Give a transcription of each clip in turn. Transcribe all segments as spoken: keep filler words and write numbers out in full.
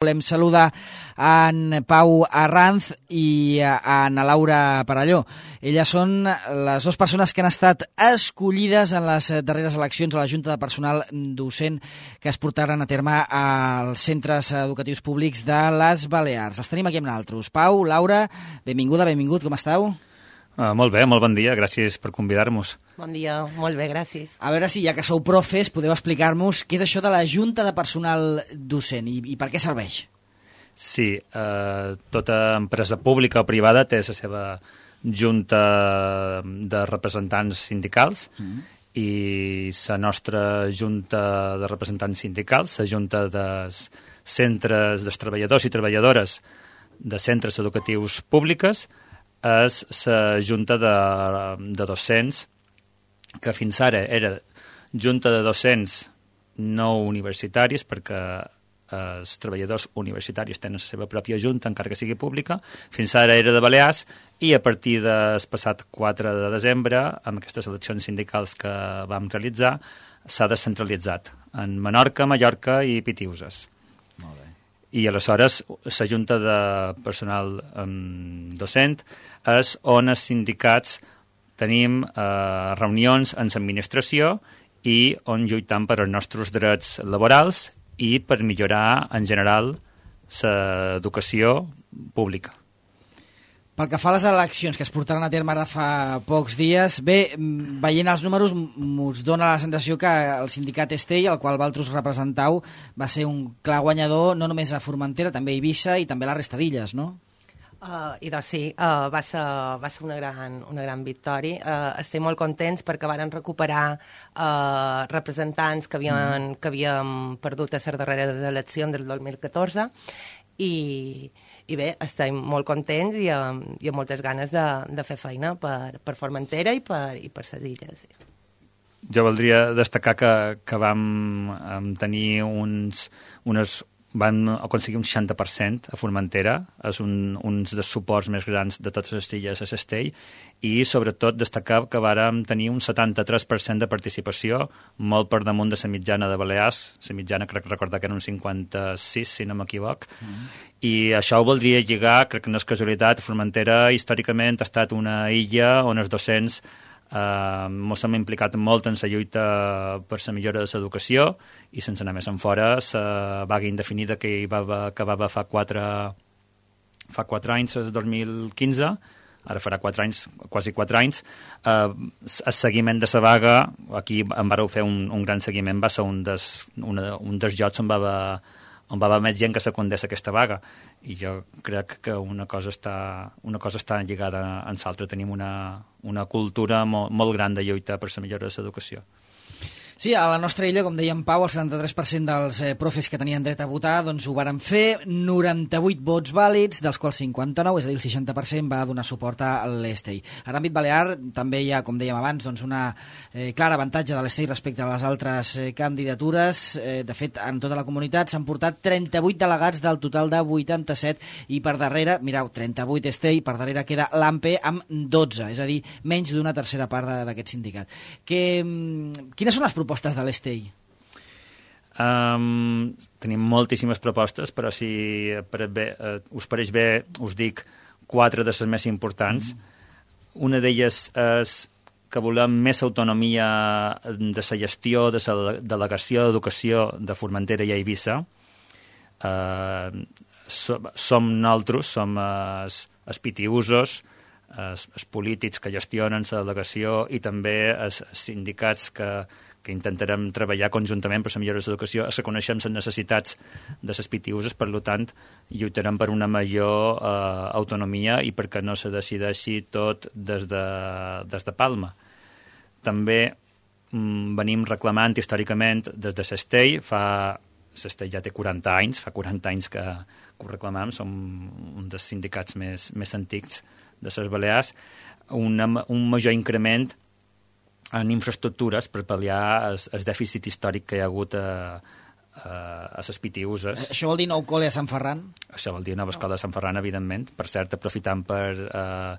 Volem saludar en Pau Arranz i en Laura Parelló. Elles són les dues persones que han estat escollides en les darreres eleccions a la Junta de Personal Docent que es portaran a terme als centres educatius públics de les Balears. Els tenim aquí amb nosaltres. Pau, Laura, benvinguda, benvingut, com esteu? Uh, molt bé, molt bon dia, gràcies per convidar-nos. Bon dia, molt bé, gràcies. A veure si, ja que sou profes, podeu explicar-nos què és això de la Junta de Personal Docent i, i per què serveix? Sí, eh, tota empresa pública o privada té la seva junta de representants sindicals mm. i la nostra junta de representants sindicals, la junta dels centres dels treballadors i treballadores de centres educatius públics, és la junta de, de docents, que fins ara era junta de docents no universitaris, perquè els treballadors universitaris tenen la seva pròpia junta, encara que sigui pública. Fins ara era de Balears i a partir del passat quatre de desembre, amb aquestes eleccions sindicals que vam realitzar, s'ha descentralitzat en Menorca, Mallorca i Pitiuses. Molt bé. I aleshores la junta de personal um, docent és on els sindicats tenim eh, reunions en l'administració i on lluitam per els nostres drets laborals i per millorar en general l'educació pública. Pel que fa a les eleccions que es portaran a terme ara fa pocs dies, bé, veient els números us dona la sensació que el sindicat Estell, el qual vosaltres representau, va ser un clar guanyador no només a Formentera, també a Eivissa i també a la resta d'illes, no? Uh, I doncs sí, uh, va ser, va ser una, gran, una gran victòria. Uh, estem molt contents perquè varen recuperar uh, representants que havien, mm. que havien perdut a les darreres eleccions del dos mil catorze i, i bé, estem molt contents i amb, i amb moltes ganes de, de fer feina per, per Formentera i per, i per les illes. Jo voldria destacar que, que vam tenir uns, unes van aconseguir un seixanta per cent a Formentera, és un, uns dels suports més grans de totes les illes a Cestell, i sobretot destacar que vàrem tenir un setanta-tres per cent de participació, molt per damunt de la mitjana de Balears, la mitjana crec recordar que era un cinquanta-sis, si no m'equivoc, mm. i això ho voldria lligar, crec que no és casualitat, Formentera històricament ha estat una illa on els docents Uh, ens hem implicat molt en la lluita per la millora de l'educació i sense anar més en fora la vaga indefinida que hi va acabar fa quatre, fa quatre anys, el dos mil quinze, ara farà quatre anys, quasi quatre anys. Uh, el seguiment de la vaga, aquí en vareu fer un, un gran seguiment, va ser un dels, una, un dels jocs on va haver on va haver més gent que secundés aquesta vaga, i jo crec que una cosa està, una cosa està lligada en l'altra. Tenim una, una cultura molt, molt gran de lluita per la millora de l'educació. Sí, a la nostra illa, com deia en Pau, el setanta-tres per cent dels eh, profes que tenien dret a votar doncs ho varen fer, noranta-vuit vots vàlids, dels quals cinquanta-nou, és a dir, el seixanta per cent va donar suport a l'Estell. A l'àmbit balear també hi ha, com dèiem abans, doncs una eh, clara avantatge de l'Estell respecte a les altres eh, candidatures. Eh, de fet, en tota la comunitat s'han portat trenta-vuit delegats del total de vuitanta-set i per darrere, mireu, trenta-vuit Estell, per darrere queda l'AMPE amb dotze, és a dir, menys d'una tercera part d'aquest sindicat. Que, quines són les propostes propostes de l'Estell? Um, tenim moltíssimes propostes, però si per bé, uh, us pareix bé, us dic quatre de les més importants. Mm. Una d'elles és que volem més autonomia de la gestió de la delegació d'educació de Formentera i Eivissa. Uh, som, som nosaltres, som els, els pitiusos, els, els polítics que gestionen la delegació i també els, els sindicats que que intentarem treballar conjuntament per la millora de l'educació, es reconeixem les necessitats de les pitiuses, per tant, lluitarem per una major eh, autonomia i perquè no se decideixi tot des de, des de Palma. També mm, venim reclamant històricament des de Cestell, fa... Cestell ja té quaranta anys, fa quaranta anys que, que ho reclamem, som un dels sindicats més, més antics de les Balears, una, un major increment en infraestructures per pal·liar el, el dèficit històric que hi ha hagut a, a, a les pitiuses. Això vol dir nou col·le a Sant Ferran? Això vol dir nova escola a Sant Ferran, evidentment. Per cert, aprofitant per eh,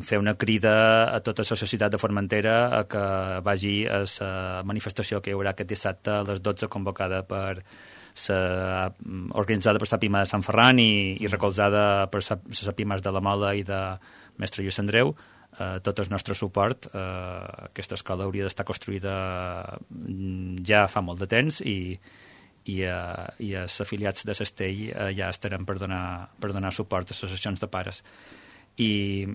fer una crida a tota la societat de Formentera a que vagi a la manifestació que hi haurà aquest dissabte a les dotze, convocada per organitzada per la Pima de Sant Ferran i, i recolzada per les Pimes de la Mola i de Mestre Lluís Andreu. Uh, tot el nostre suport. Uh, aquesta escola hauria d'estar construïda ja fa molt de temps i, i, uh, i els afiliats de Castell uh, ja estarem per donar, per donar suport a les associacions de pares. I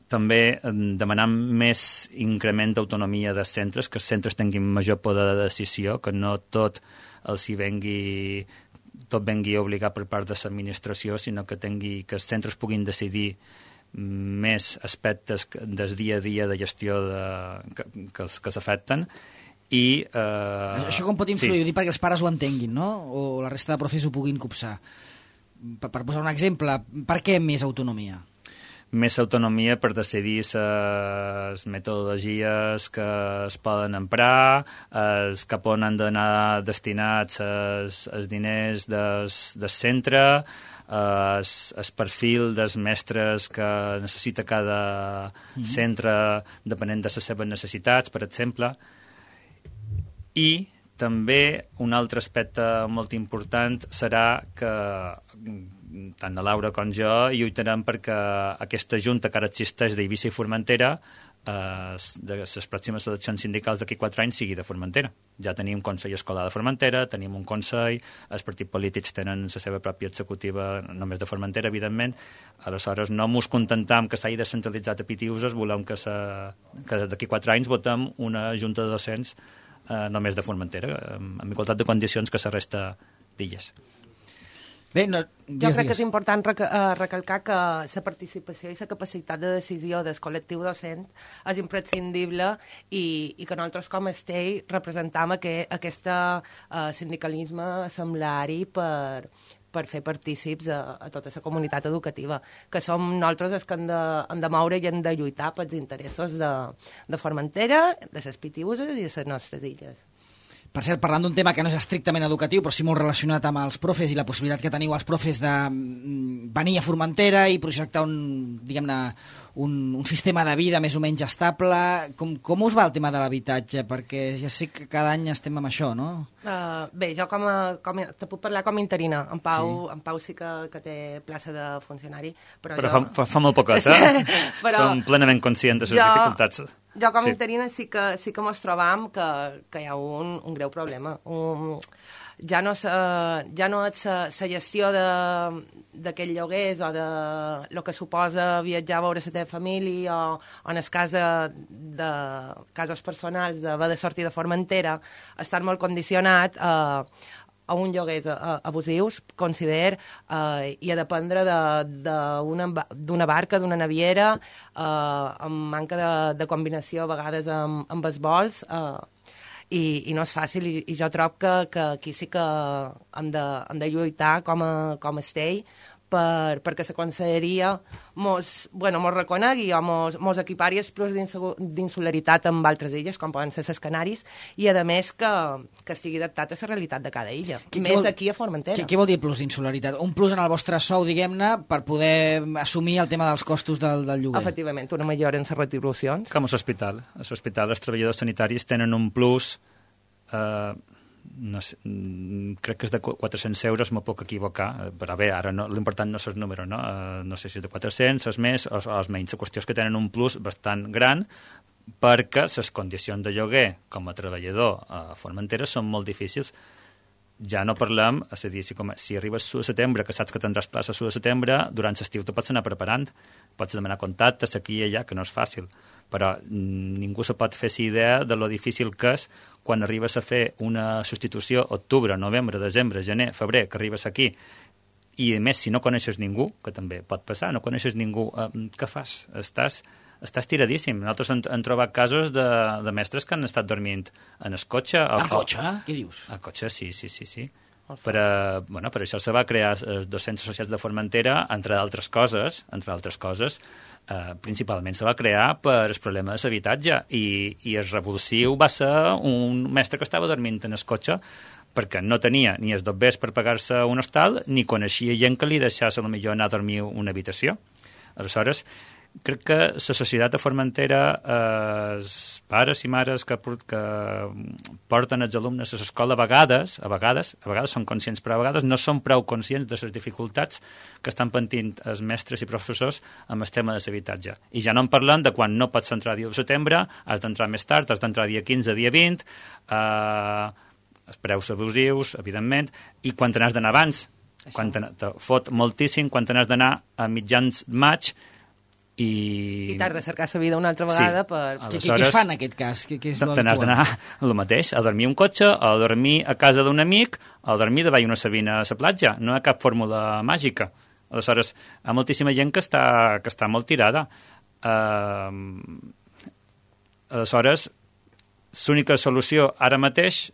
també demanant més increment d'autonomia dels centres, que els centres tinguin major poder de decisió, que no tot els hi vengui tot vengui obligat per part de l'administració, sinó que, tingui, que els centres puguin decidir més aspectes del dia a dia de gestió de, que, que, que s'afecten. I, eh, Això com pot influir? Sí. Ho dic perquè els pares ho entenguin, no? O la resta de profes ho puguin copsar. Per, per posar un exemple, per què més autonomia? Més autonomia per decidir les metodologies que es poden emprar, els cap on han d'anar destinats els, els diners del, del centre, el, el perfil dels mestres que necessita cada mm-hmm. centre depenent de les seves necessitats, per exemple. I també un altre aspecte molt important serà que tant la Laura com jo lluitarem perquè aquesta junta que ara existeix d'Eivissa i Formentera, eh, de les pròximes eleccions sindicals d'aquí quatre anys sigui de Formentera. Ja tenim un Consell Escolar de Formentera, tenim un Consell, els partits polítics tenen la seva pròpia executiva només de Formentera, evidentment. Aleshores, no mos contentam que s'hagi descentralitzat a Pitiuses, volem que, que d'aquí quatre anys votem una junta de docents eh, només de Formentera, amb igualtat de condicions que la resta d'illes. Bé, no, dies, jo crec dies. que és important rec uh, recalcar que la participació i la capacitat de decisió del col·lectiu docent és imprescindible i, i que nosaltres com a Estell representam aquest aquest uh, sindicalisme assemblari per, per fer partícips a, a tota la comunitat educativa, que som nosaltres els que hem de, hem de moure i hem de lluitar pels interessos de, de Formentera, de les Pitiuses i de les nostres illes. Per cert, parlant d'un tema que no és estrictament educatiu, però sí molt relacionat amb els profes i la possibilitat que teniu els profes de venir a Formentera i projectar un, diguem-ne, un, un sistema de vida més o menys estable. Com, com us va el tema de l'habitatge? Perquè ja sé que cada any estem amb això, no? Uh, bé, jo com a, com a, te puc parlar com a interina. En Pau sí, en Pau sí que, que té plaça de funcionari. Però, però jo... fa, fa molt poquet, eh? però... Som plenament conscients de les jo... dificultats. Jo com a sí. interina sí que, sí que mos trobam que, que hi ha un, un greu problema. Un, ja no, sa, ja no és la gestió d'aquests lloguers o de lo que suposa viatjar a veure la teva família o, o en el cas de, de casos personals d'haver de sortir de Formentera, estar molt condicionat a, a un lloguers abusius, consider, eh, i a dependre d'una de, barca, d'una naviera, eh, amb manca de, de combinació a vegades amb, amb els vols, eh, i, i no és fàcil, i, i jo trobo que, que aquí sí que hem de, hem de lluitar com a, com a Estell, per, perquè la conselleria mos, bueno, mos reconegui o mos, mos equipari els plus d'insularitat amb altres illes, com poden ser les Canaris, i a més que, que estigui adaptat a la realitat de cada illa, que, més vol, aquí a Formentera. Què, què vol dir plus d'insularitat? Un plus en el vostre sou, diguem-ne, per poder assumir el tema dels costos del, del lloguer? Efectivament, una millora en les retribucions. Com a l'hospital. A l'hospital els treballadors sanitaris tenen un plus... Eh, no sé, crec que és de quatre-cents euros, m'ho puc equivocar, però bé, ara no, l'important no és el número, no? Uh, no sé si és de quatre-cents, és més o, o és menys. La qüestió és que tenen un plus bastant gran perquè les condicions de lloguer com a treballador a Formentera són molt difícils. Ja no parlem, és a dir, si, com, si arribes a setembre, que saps que tindràs plaça a setembre, durant l'estiu te pots anar preparant, pots demanar contactes aquí i allà, que no és fàcil, però ningú se pot fer idea de lo difícil que és quan arribes a fer una substitució octubre, novembre, desembre, gener, febrer, que arribes aquí, i a més, si no coneixes ningú, que també pot passar, no coneixes ningú, eh, què fas? Estàs... Estàs tiradíssim. Nosaltres hem, hem trobat casos de, de mestres que han estat dormint en el cotxe. Al cotxe? Què dius? Al cotxe, sí, sí, sí. sí. Per, a, bueno, per això se va crear els docents associats de Formentera, entre altres coses, entre altres coses, eh, principalment se va crear per el problema de l'habitatge, i, i el revulsiu va ser un mestre que estava dormint en el cotxe perquè no tenia ni els dobbers per pagar-se un hostal, ni coneixia gent que li deixés a lo millor anar a dormir una habitació. Aleshores, crec que la societat de Formentera, eh, els pares i mares que, que porten els alumnes a l'escola, a vegades, a vegades, a vegades són conscients, però a vegades no són prou conscients de les dificultats que estan patint els mestres i professors amb el tema de l'habitatge. I ja no en parlem de quan no pots entrar dia de setembre, has d'entrar més tard, has d'entrar dia quinze, dia vint, eh, els preus abusius, evidentment, i quan te n'has d'anar abans, Això. quan te, te fot moltíssim, quan te n'has d'anar a mitjans maig, i... I t'has de cercar la vida una altra vegada sí. per... Aleshores, què, què es fa en aquest cas? Què, què és te n'has d'anar el mateix, a dormir un cotxe, a dormir a casa d'un amic, a dormir davall una sabina a la platja. No hi ha cap fórmula màgica. Aleshores, hi ha moltíssima gent que està, que està molt tirada. Uh, aleshores, l'única solució ara mateix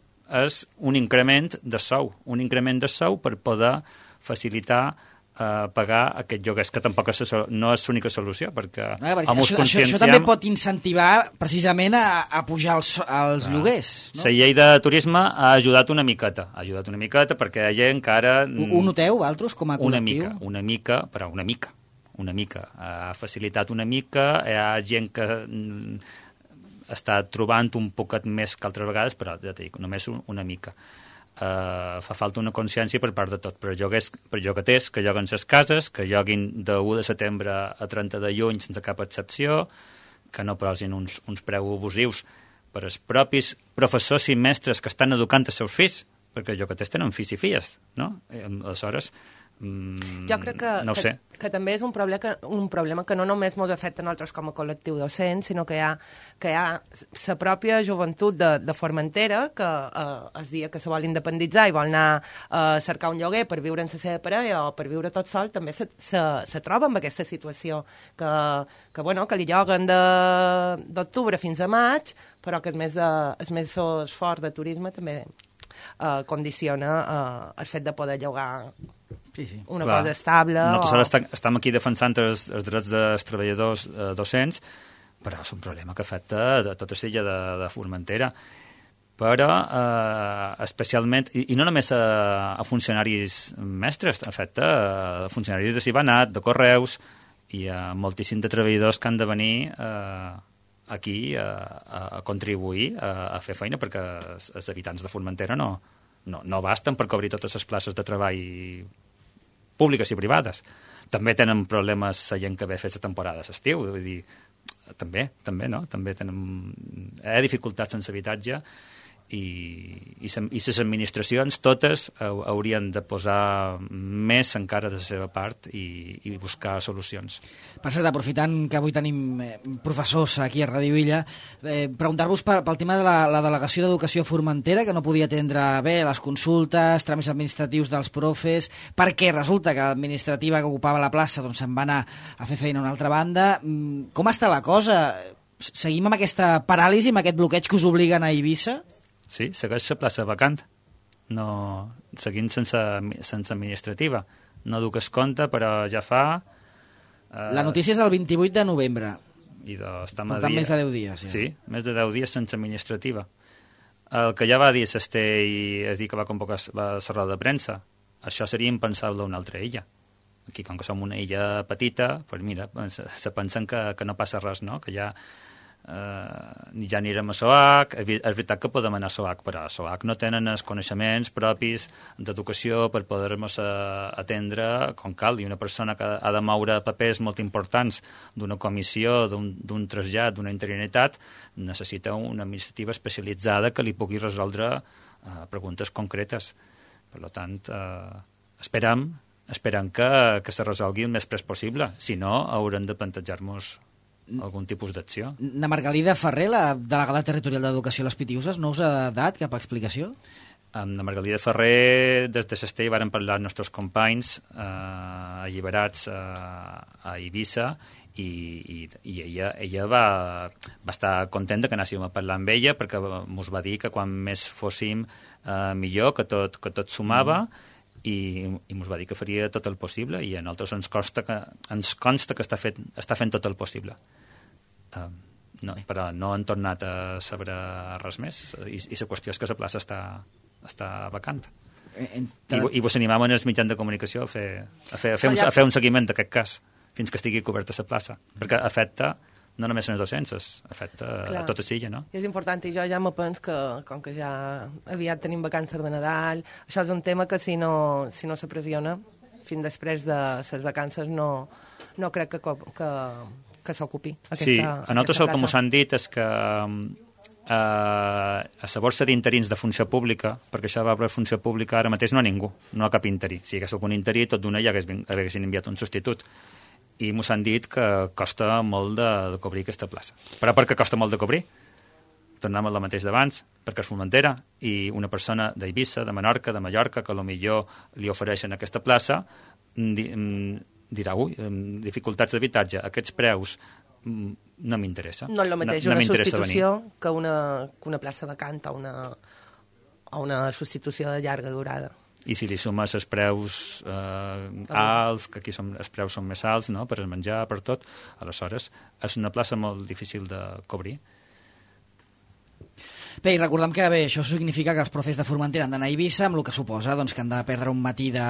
és un increment de sou, un increment de sou per poder facilitar Uh, pagar aquest lloguers, que tampoc és, no és l'única solució, perquè no, perquè amb això, això, això també pot incentivar precisament a, a pujar els, els ah, lloguers. No? La llei de turisme ha ajudat una miqueta, ha ajudat una miqueta perquè hi ha gent que ara... Ho noteu, vosaltres, com a col·lectiu? Una mica, una mica, però una mica, una mica. Ha facilitat una mica, hi ha gent que està trobant un poquet més que altres vegades, però ja t'ho dic, només una mica. Uh, fa falta una consciència per part de tot, per joguers, per jogaters que joguen les cases, que joguin de u de setembre a trenta de juny sense cap excepció, que no posin uns, uns preus abusius per als propis professors i mestres que estan educant els seus fills, perquè els jogaters tenen fills i filles, no? Aleshores, mm, jo crec que, no ho sé. que, que també és un problema que, un problema que no només ens afecta a nosaltres com a col·lectiu docent, sinó que hi ha, que hi ha la pròpia joventut de, de Formentera que eh, el dia que se vol independitzar i vol anar a eh, cercar un lloguer per viure en la seva parella o per viure tot sol, també se, se, se troba amb aquesta situació que, que, bueno, que li lloguen d'octubre fins a maig, però que el mes, de, el mes fort de turisme també eh, condiciona eh, el fet de poder llogar sí, sí. una Clar. cosa estable. Nosaltres o... estem aquí defensant els, els drets dels treballadors eh, docents, però és un problema que afecta a tota l'illa de, de Formentera. Però eh, especialment, i, i no només a, a funcionaris mestres, afecta a funcionaris de Cibanat, de Correus, i a moltíssim de treballadors que han de venir eh, aquí a, a contribuir a, a fer feina, perquè els, els habitants de Formentera no, no, no basten per cobrir totes les places de treball públiques i privades. També tenen problemes la gent que ve a fer la temporada d'estiu, vull dir, també, també, no? També tenen hi ha dificultats sense habitatge i, i, i les administracions totes haurien de posar més encara de la seva part i, i buscar solucions. Per cert, aprofitant que avui tenim eh, professors aquí a Ràdio Illa, eh, preguntar-vos pel, pel tema de la, la Delegació d'Educació a Formentera, que no podia atendre bé les consultes, tràmits administratius dels profes, perquè resulta que l'administrativa que ocupava la plaça doncs, se'n va anar a fer feina a una altra banda. Com està la cosa? Seguim amb aquesta paràlisi, amb aquest bloqueig que us obliguen a Eivissa? Sí, segueix la plaça vacant. No, seguint sense, sense administrativa. No duc es compte, però ja fa... Eh, la notícia és del vint-i-vuit de novembre. I de, estem per tant, dia... més de deu dies. Ja. Sí, més de deu dies sense administrativa. El que ja va dir Sesté i és dir que va convocar la roda de premsa, això seria impensable a una altra illa. Aquí, com que som una illa petita, doncs mira, se, se pensen que, que no passa res, no? Que ja... Uh, ja anirem a SOAC, és veritat que podem anar a SOAC, però a SOAC no tenen els coneixements propis d'educació per poder-nos uh, atendre com cal, i una persona que ha de moure papers molt importants d'una comissió, d'un trasllat, d'una interinitat, necessita una administrativa especialitzada que li pugui resoldre uh, preguntes concretes. Per tant, uh, esperem, esperem que, que se resolgui el més pres possible, si no haurem de plantejar-nos algun tipus d'acció. Na Margalida Ferrer, la delegada territorial d'Educació a les Pitiuses, no us ha dat cap explicació? Amb la Margalida Ferrer, des de Sestell, varen parlar els nostres companys eh, alliberats eh, a Eivissa i, i, i ella, ella va, va estar contenta que anéssim a parlar amb ella perquè ens va dir que quan més fóssim eh, millor, que tot, que tot sumava, mm. i, i ens va dir que faria tot el possible i a nosaltres ens consta que, ens consta que està, fet, està fent tot el possible. Uh, no, però no han tornat a saber res més i, i la qüestió és que la plaça està, està vacant. Entre... I, i vos animam en els mitjans de comunicació a fer, a fer, a fer, un, a fer un seguiment d'aquest cas. fins que estigui coberta la plaça, perquè afecta no només els docents, afecta Clar. a tota l'illa, no? I és important, i jo ja me penso que, com que ja aviat tenim vacances de Nadal, això és un tema que si no, si no se pressiona, fins després de les vacances no, no crec que, que, que s'ocupi aquesta Sí, a nosaltres el que ens han dit és que eh, a la borsa d'interins de funció pública, perquè això va per funció pública, ara mateix no hi ha ningú, no hi ha cap interí. Si hi hagués algun interí, tot d'una ja haguessin enviat un substitut. I ens han dit que costa molt de, de cobrir aquesta plaça. Però per què costa molt de cobrir? Tornem al mateix d'abans, perquè és Formentera, i una persona d'Eivissa, de Menorca, de Mallorca, que potser li ofereixen aquesta plaça, di, dirà, ui, dificultats d'habitatge, aquests preus no m'interessa. No és el mateix no, una no substitució que una, que una plaça vacant o una, o una substitució de llarga durada. I si li sumes els preus eh, alts, que aquí som, els preus són més alts, no?, per el menjar, per tot, aleshores és una plaça molt difícil de cobrir. Bé, i recordem que bé, això significa que els profes de Formentera han d'anar a Eivissa, amb el que suposa doncs, que han de perdre un matí de,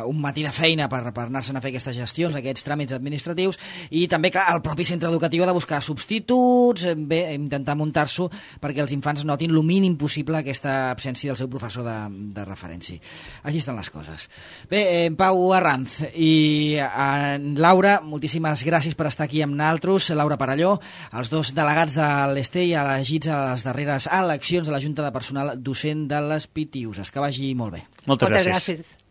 un matí de feina per, per anar-se'n a fer aquestes gestions, aquests tràmits administratius, i també, clar, el propi centre educatiu ha de buscar substituts, bé, intentar muntar-s'ho perquè els infants notin el mínim possible aquesta absència del seu professor de, de referència. Així estan les coses. Bé, eh, Pau Arranz i eh, Laura, moltíssimes gràcies per estar aquí amb nosaltres. Laura Parelló, els dos delegats de l'Estell elegits a les darreres eleccions a la Junta de Personal Docent de les Pitiuses. Que vagi molt bé. Moltes, Moltes gràcies. gràcies.